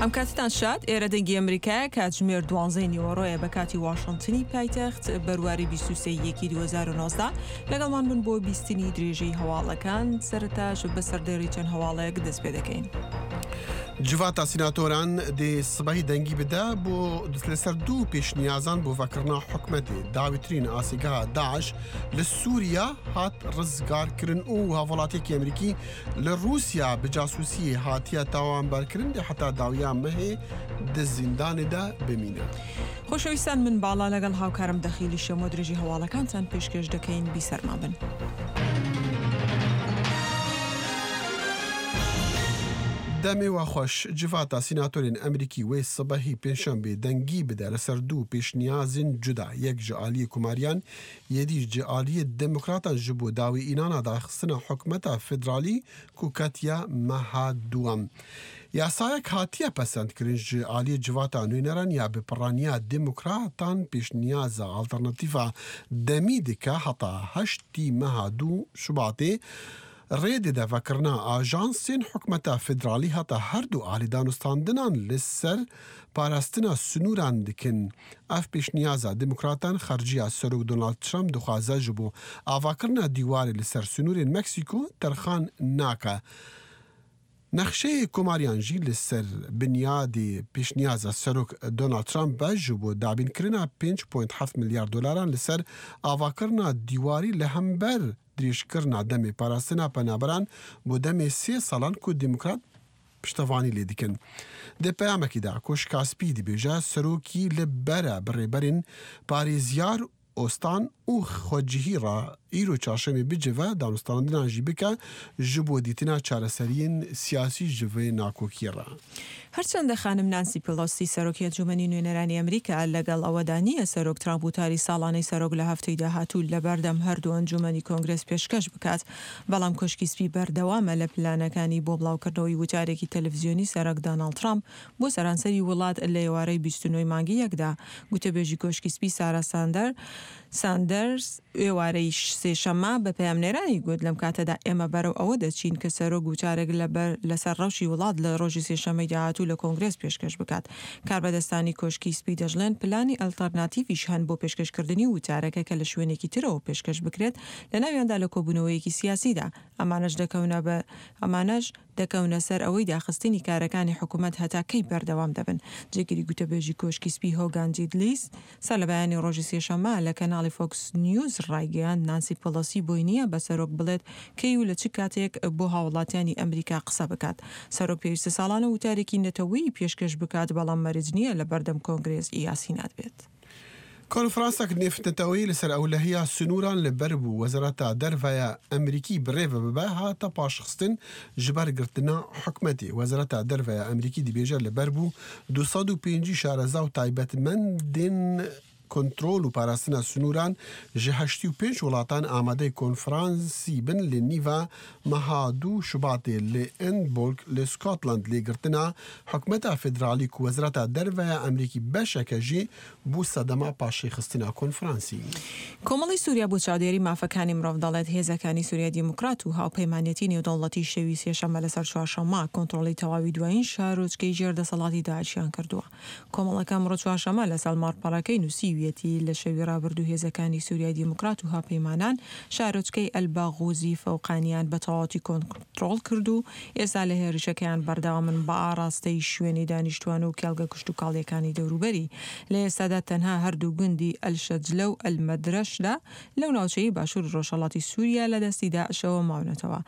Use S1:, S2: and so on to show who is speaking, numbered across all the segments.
S1: ئەم کاتتان شاد ئێرە دەنگی ئەمریکایە کاتژمێر دوانزەی نیوەڕۆیە بە کاتی واشنتنی پایتەخت بەرواری 23 یەکی 2019 لەگەڵمان بن بۆ بیستنی درێژەی هەواڵەکان سەرەتاش بە سەردێڕی چەند هەواڵێک دەست پێ دەکەین.
S2: جڤاتا سیناتۆران دێ سبەی دەنگی بدە بۆ لەسەر دوو پێشنیازان بۆ ڤەکردنا حکومەتێ داویترین ئاسیگەها داعش لە سووریا هات ڕزگارکردن و هاوڵاتیەکی ئەمریکی لە ڕووسیا بە جاسووسی هاتیە تاوانبارکردن دێ حەتا داویا مەهێ دە زیندانێدا بمینە.
S1: خۆشەویستان من باڵا لەگەڵ هاوکارم دەخیلی شەمۆ درێژی هەواڵەکانتان پێشکێش دەکەین بیسەرمان بن.
S2: دەمێ وا خوەش جڤاتا سیناتۆرên ئەمریکی wê sibehî pêncşembê dengî bide li ser du pêşniyazên cuda yek ji aliyê Komariyan yê dî ji aliyê Demokratan ji bo dawîînana daxistina hikûmeta federalî ku ketiye meha duwem. Yasayek hatiye pesendkirin ji aliyê civata nûneran ya bi piraniya Demokratan pêşniyaza alternatîfa demî dike heta heştî meha du Şubatê rê dide vekirina ajansên hikûmeta federalî heta her du alî danûstandinan li ser parastina sinûran dikin. Ev pêşniyaza Demokratan xerciya Serok Donald Trump dixwaze ji bo avakirina dîwarê li ser sinûrên Meksîko terxan nake. Nexşeyê Komariyan jî li ser binyadê pêşniyaza Serok Donald Trump be ji bo dabînkirina 5.7 milyar dolaran li ser avakirina dîwarî li hember dirêjkirina demê parastina penaberan bo demê sê salan ku Demokrat piştevanî lê dikin. Di peyamekî de Koşka Spî dibêje serokî li ber e bi rêberên parêzyar ostan û xwecihî re îro çarşemê bicive danûstandinan jî bike ji bo dîtina çareseriyên siyasî ji vê nakokiyê re.
S1: هەرچەندە خانم نانسی پێلۆسی سەرۆکی ئەنجومەنی نوێنەرانی ئەمریکا لەگەڵ ئەوەدا نییە سەرۆک ترامپ وتاری ساڵانەی سەرۆک لە هەفتەی داهاتوو لەبەردەم هەردوو ئەنجومەنی کۆنگرێس پێشکەش بکات، بەڵام کۆشکی سپی بەردەوامە لە پلانەکانی بۆ بڵاوکردنەوەی وتارێکی تەلەفزیۆنی سەرۆک داناڵد ترامپ بۆ سەرانسەری وڵات لە ئێوارەی 29 ی مانگی یەکدا. گوتەبێژی کۆشکی سپی سارا ساندەر ساندەرس ئێوارەی سێشەممە بە پەیامنێرانی گوت، لەم کاتەدا ئێمە بەرەو ئەوە دەچین کە سەرۆک وتارێک لەبەر لەسەر ڕەوشی وڵات لە ڕۆژی سێشەممەی داهاتوو لە کۆنگرێس پێشکەش بکات. کاربەدەستانی کۆشکی سپی دەشڵێن پلانی ئەلتەرناتیڤیش هەن بۆ پێشکەشکردنی وتارەکە کە لە شوێنێکی ترەوە پێشکەش بکرێت لەناویاندا لە کۆبوونەوەیەکی سیاسیدا. ئەمانەش دەکەونە بە ئەمانەش دەکەونە سەر ئەوەی داخستنی کارەکانی حکومەت هەتا کەی بەردەوام دەبن. جێگری گوتەبێژی کۆشکی سپی هۆگان جیدلیس سەرلەبەیانی ڕۆژی سێشەممە لە کەناڵی فۆکس نیوز ڕایگەیاند نانسی پێلۆسی بۆی نییە بە سەرۆک بڵێت کەی و لە چ کاتێک بۆ هاوڵاتیانی ئەمریکا قسە بکات. سەرۆک پێویستە ساڵانە وتارێکی نەتەوەیی پێشکەش بکات بەڵام مەرج نییە لە بەردەم کۆنگرێس یا سینات بێت.
S2: کۆنفرانسەک نێفنەتەوەیی لەسەر ئەولەهیا سنووران لە بەر بوو وەزارەتا دەرڤەیا ئەمریکی بڕێڤە ببە هاتە پاشخستن ji ber girtina hikûmetê. Wezareta Derve ya Amerîkî dibêje li ber bû 250 şareza û taybetmendên kontrol û parastina sinûran ji 85 welatan amadeyê konferansî bin li nîva meha du Şubatê li Edinburgh li Scotland lê girtina hikûmeta federalî ku Wezareta Derve ya Amerîkî beşeke jî bû sedema paşêxistina konferansî.
S1: کۆمەڵەی سووریا بۆ چاودێری مافەکانی مرۆڤ دەڵێت، هێزەکانی سووریای دیموکرات و هاوپەیمانێتی نێودەوڵەتی شەوی سێشەممە لەسەر چوارشەممە کۆنترۆڵی تەواوی دوایین شارۆچکەی ژێر دەسەڵاتی داعشیان کردووە. کۆمەڵەکە ئەمڕۆ چوارشەممە لەسەر ماڵپەڕەکەی نووسیویەتی، لە شەوی ڕابردوو هێزەکانی سووریای دیموکرات و هاوپەیمانان شارۆچکەی ئەلباغوزی فەوقانیان بە تەواوەتی کۆنترۆڵ کرد و ئێستا لە هێرشەکەیان بەردەوامن بە ئاڕاستەی شوێنی دانیشتوان و کێڵگە کشتوکاڵییەکانی دەوروبەری. لە ئێستادا تەنها هەردوو گوندی ئەلشەجلە و ئەلمەدرەشدا لەو ناوچەیەی باشووری ڕۆژهەڵاتی سووریا لە دەستی داعشەوە ماونەتەوە.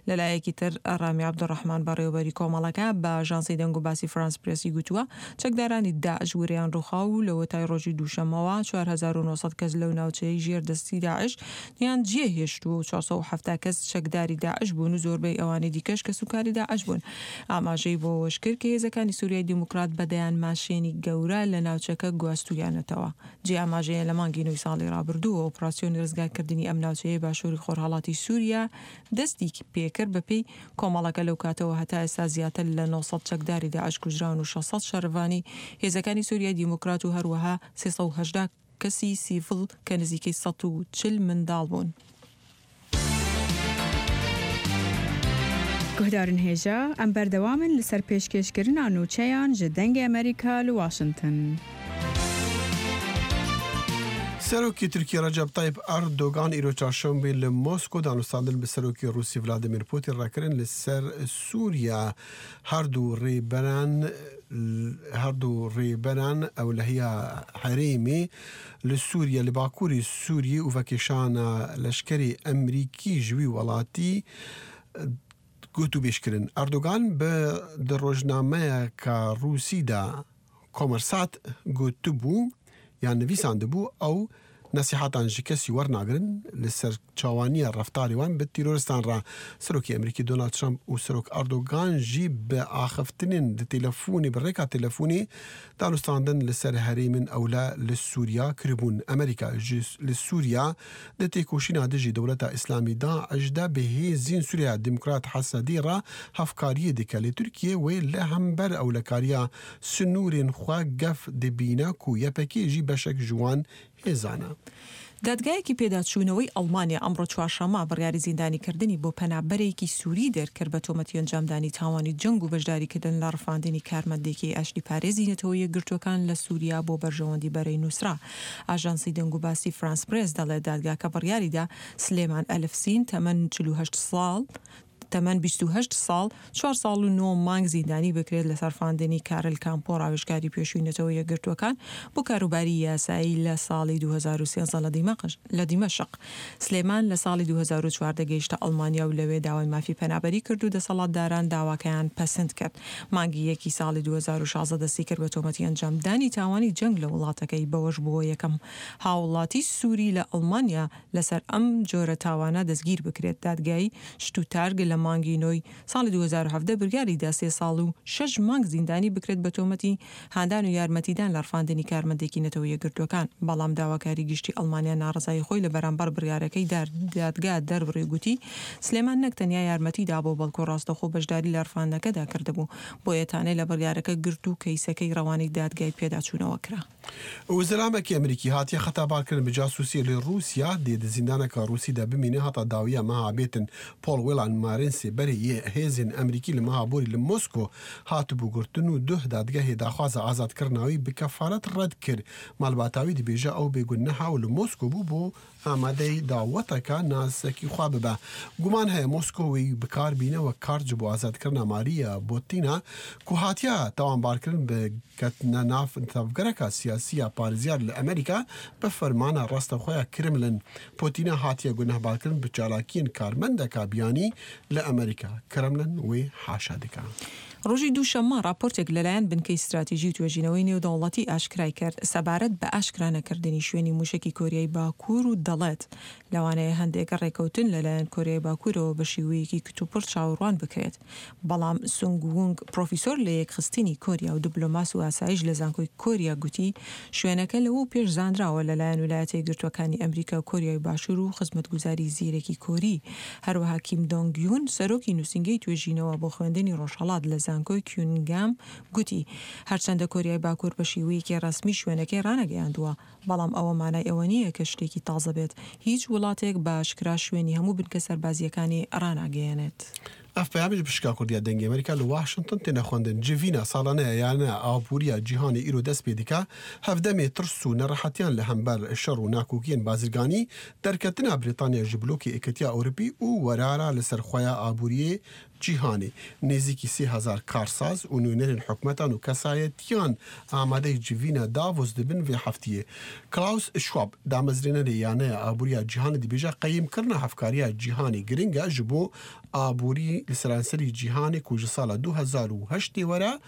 S1: لە لایەکی تر ڕامی عەبدولڕەحمان بەڕێوەبەری کۆمەڵەکە بە ئاژانسی دەنگوباسی فرانس پرێسی گوتووە، چەکدارانی داعش ورەیان ڕووخاو و لەوەتای ڕۆژی دووشەممەوە 4900 کەس لەو ناوچەیەی ژێر دەستی داعش یان جێ هێشتووە و 470 کەس چەکداری داعش بوون و زۆربەی ئەوانی دیکەش کەسوکاری داعش بوون. ئاماژەی بۆ ئەوەشکرد کە هێزەکانی سوریای دیموکرات بە دەیان ماشێنی گەورە لە ناوچەکە گواستوویانەتەوە. جێی ئاماژەیە لە مانگی نۆی ساڵی ڕابردووە ئۆپراسیۆنی ڕزگارکردنی ئەم ناوچەیەی باشووری خۆرهەڵاتی سوریا دەستی پێکرد، بەپێی کۆمەڵەکە لەو کاتەوە هەتا ئێستا زیاتر لە 900 چەکداری داعش کوژراون و 600 شەڕڤانی هێزەکانی سوریای دیموکرات و هەروەها 380 کەسی سیڤڵ کە نزیکەی 140 منداڵ بوون.
S3: Guhdarên hêja, em berdewam in li ser pêşkêşkirina nûçeyan ji Dengê Amerîka li Washington.
S2: Serokê Tirkiyê Recep Tayyip Erdogan îro çarşembê li Mosko danûstandin bi Serokê Rûsî Vladimir Putin re kirin li ser Sûriye. Her du rêberan her du rêberan ewlehiya herêmê li Sûriye li bakurê Sûriyê û vekêşana leşkerê Emrîkî ji wî welatî gotûbêj kirin. Erdogan bi di rojnameyeke Rûsî de Kommersat gotibû yan nivîsandibû ew nesîhatan ji kesî wernagirin li ser çawaniya reftarê wan bi tîroristan re. Serokê Amerîkî Donald Trump û Serok Erdogan jî bi axiftinên di têlefonê bi rêka têlefonê danûstandin li ser herêmên ewle li Sûriya kiribûn. Amerîka ji li Sûriya di têkoşîna dijî Dewleta Îslamî DAIŞ de bi hêzên Sûriyeya Demokrat HSD re hevkariyê dike lê Tirkiye wê li hember ewlekariya Sinûrên xwe gef dibîne ku YPG jî beşek ji wan hêzan e.
S1: دادگایەکی پێداچوونەوەی ئەڵمانیا ئەمڕۆ چوارشەممە بڕیاری زیندانیکردنی بۆ پەنابەرێکی سوری دەرکرد بە تۆمەتی ئەنجامدانی تاوانی جەنگ و بەشداریکردن لە ڕفاندنی کارمەندێکی ئاشتیپارێزی نەتەوە یەکگرتووەکان لە سوریا بۆ بەرژەوەندی بەرەی نوسرا. ئاژانسی دەنگوباسی فرانس پرێس دەڵێت دادگاکە بڕیاریدا سلێمان ئەلفسین تەمەن 48 ساڵ تەمەن 28 ساڵ، چوار ساڵ و نۆ مانگ زیندانی بکرێت لەسەر ڕفاندنی کارل کامپۆ ڕاوێژکاری پێشووی نەتەوە یەکگرتووەکان بۆ کاروباری یاسایی لە ساڵی 2013 لە دیمەشق. سلێمان لە ساڵی 2014 گەیشتە ئەڵمانیا و لەوێ داوای مافی پەنابەری کرد و دەسەڵاتداران داواکەیان پەسند کرد. مانگی یەکی ساڵی 2016 دەستی کرد بە تۆمەتی ئەنجامدانی تاوانی جەنگ لە وڵاتەکەی، بەوەش بووە یەکەم هاوڵاتی سوری لە ئەڵمانیا لەسەر ئەم جۆرە تاوانە دەستگیر بکرێت. دادگای شتوتارگ لە مانگی نۆی ساڵی 2017 بریاری دا سێ ساڵ و شەش مانگ زیندانی بکرێت بە تۆمەتی هاندان و یارمەتیدان لە ڕفاندنی کارمەندێکی نەتەوە یەکگرتووەکان، بەڵام داواکاری گشتی ئەڵمانیا ناڕەزایی خۆی لە بەرامبەر بڕیارەکەی دادگا دەربڕی و گوتی، سلێمان نەک تەنیا یارمەتی دابوو بەڵکو ڕاستەوخۆ بەشداری لە ڕفاندنەکەدا کردبوو، بۆیە تانەی لە بڕیارەکە گرت و کەیسەکەی ڕەوانەی دادگای پێداچوونەوە کرا.
S2: Zilamekî Amerîkî hatiye xetabarkirin bi casûsiyê li Rûsya dê di zîndaneke Rûsî de bimîne heta dawiya meha bêtin. Paul Whelan Marînsê berê yê hêzên Amerîkî li meha borî li Mosko hatibû girtin û duh dadgehê daxwaza azadkirina wî bi kefaret red kir. Malbata wî dibêje ew bêguneha û li Mosko bû bo Amadeyî daweteke nasekî xwe bibe. Guman heye Moskow wî bi kar bîne wek kart ji bo azadkirina Maria Butina ku hatiye tawanbarkirin bi ketina nav tevgereke siyasî ya parêzyar li Amerîka bi fermana rastexwe ya Kremlin. Putina hatiye gunehbarkirin bi çalakiyên karmendeke biyanî li Amerîka. Kremlin wê haşa dike.
S1: ڕۆژی دووشەممە ڕاپۆرتێک لەلایەن بنکەی ستراتیژی و توێژینەوەی نێودەوڵەتی ئاشکرای کرد سەبارەت بە ئاشکرا نەکردنی شوێنی مووشەکی کۆریای باکوور و دەڵێت، لەوانەیە هەندێک ڕێکەوتن لەلایەن کۆریای باکوورەوە بە شیوەیەکی کتوپڕ چاوەڕوان بکرێت. بەڵام سونگ وونگ پرۆفیسۆر لە یەکخستنی کۆریا و دبلۆماس و ئاسایش لە زانکۆی کۆریا گوتی، شوێنەکە لەوەو پێش زانراوە لەلایەن ولایەتە یەکگرتووەکانی ئەمریکا و کۆریای باشوور و خزمەتگوزاری زیرەکی کۆری. هەروەها کیم دۆنگ یون، سەرۆکی نووسینگەی توێژینەوە بۆ خوێندنی ڕۆژهەڵات لە زانکۆی کیونگام گوتی، هەرچەندە کۆریای باکوور بە شیوەیەکی ڕەسمی شوێنەکەی ڕانەگەیاندووە، بەڵام ئەوە مانای ئەوە نییە کە شتێکی تازە بێت، هیچ وڵاتێک بە ئاشکرا شوێنی هەموو بنکە سەربازییەکانی ڕاناگەیەنێت.
S2: ئەف پەیامیش بشکا کوردیا دەنگی ئەمریکا لە واشنتن تێنە خوەندن جڤینا ساڵانەیە یانە ئابووریە جیهانی ئیرۆ دەست پێ دکا هەڤدەمێ ترس و نەڕەحەتیان لە هەمبەر شەڕ و ناکۆکیەن بازرگانی دەرکەتنا بریتانیا ژ بلۆکی ئێکەتیا ئەوروپی و وەرارا لە سەر خوەیا ئابووریێ جیهانی نێزیکی 3000 کارساز و نوێنەرên حکومەتان و کەسایەتیان ئامادەی جڤینا داڤۆس دبن vê heftiyê. Klaus Schwab damezrênerê Yaneya Aboriya Cîhanê dibêje qeyîmkirina hevkariya cîhanê giring e ji bo aborî li seranserî cîhanê ku ji sala 2008 were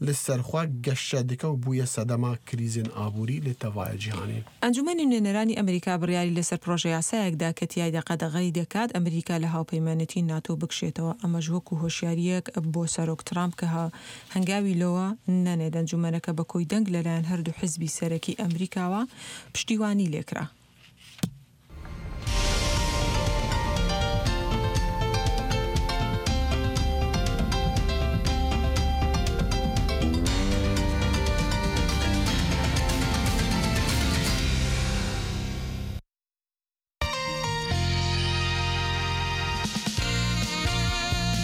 S2: li ser xwe geşe dike û bûye sedema krîzên aborî li tevaya cîhanê.
S1: ئەنجومەنی نوێنەرانی ئەمریکا بڕیاری لەسەر پڕۆژەیاسایەک دا کە تیایدا قەدەغەی دەکات ئەمریکا لە هاوپەیمانێتی ناتۆ بکشێتەوە، ئەمەش وەکو هۆشیارییەک بۆ سەرۆک ترامپ کە هەنگاوی لەوە نەنێت. ئەنجومەنەکە بە کۆی دەنگ لەلایەن هەردوو حزبی سەرەکی ئەمریکاوە پشتیوانی لێکرا.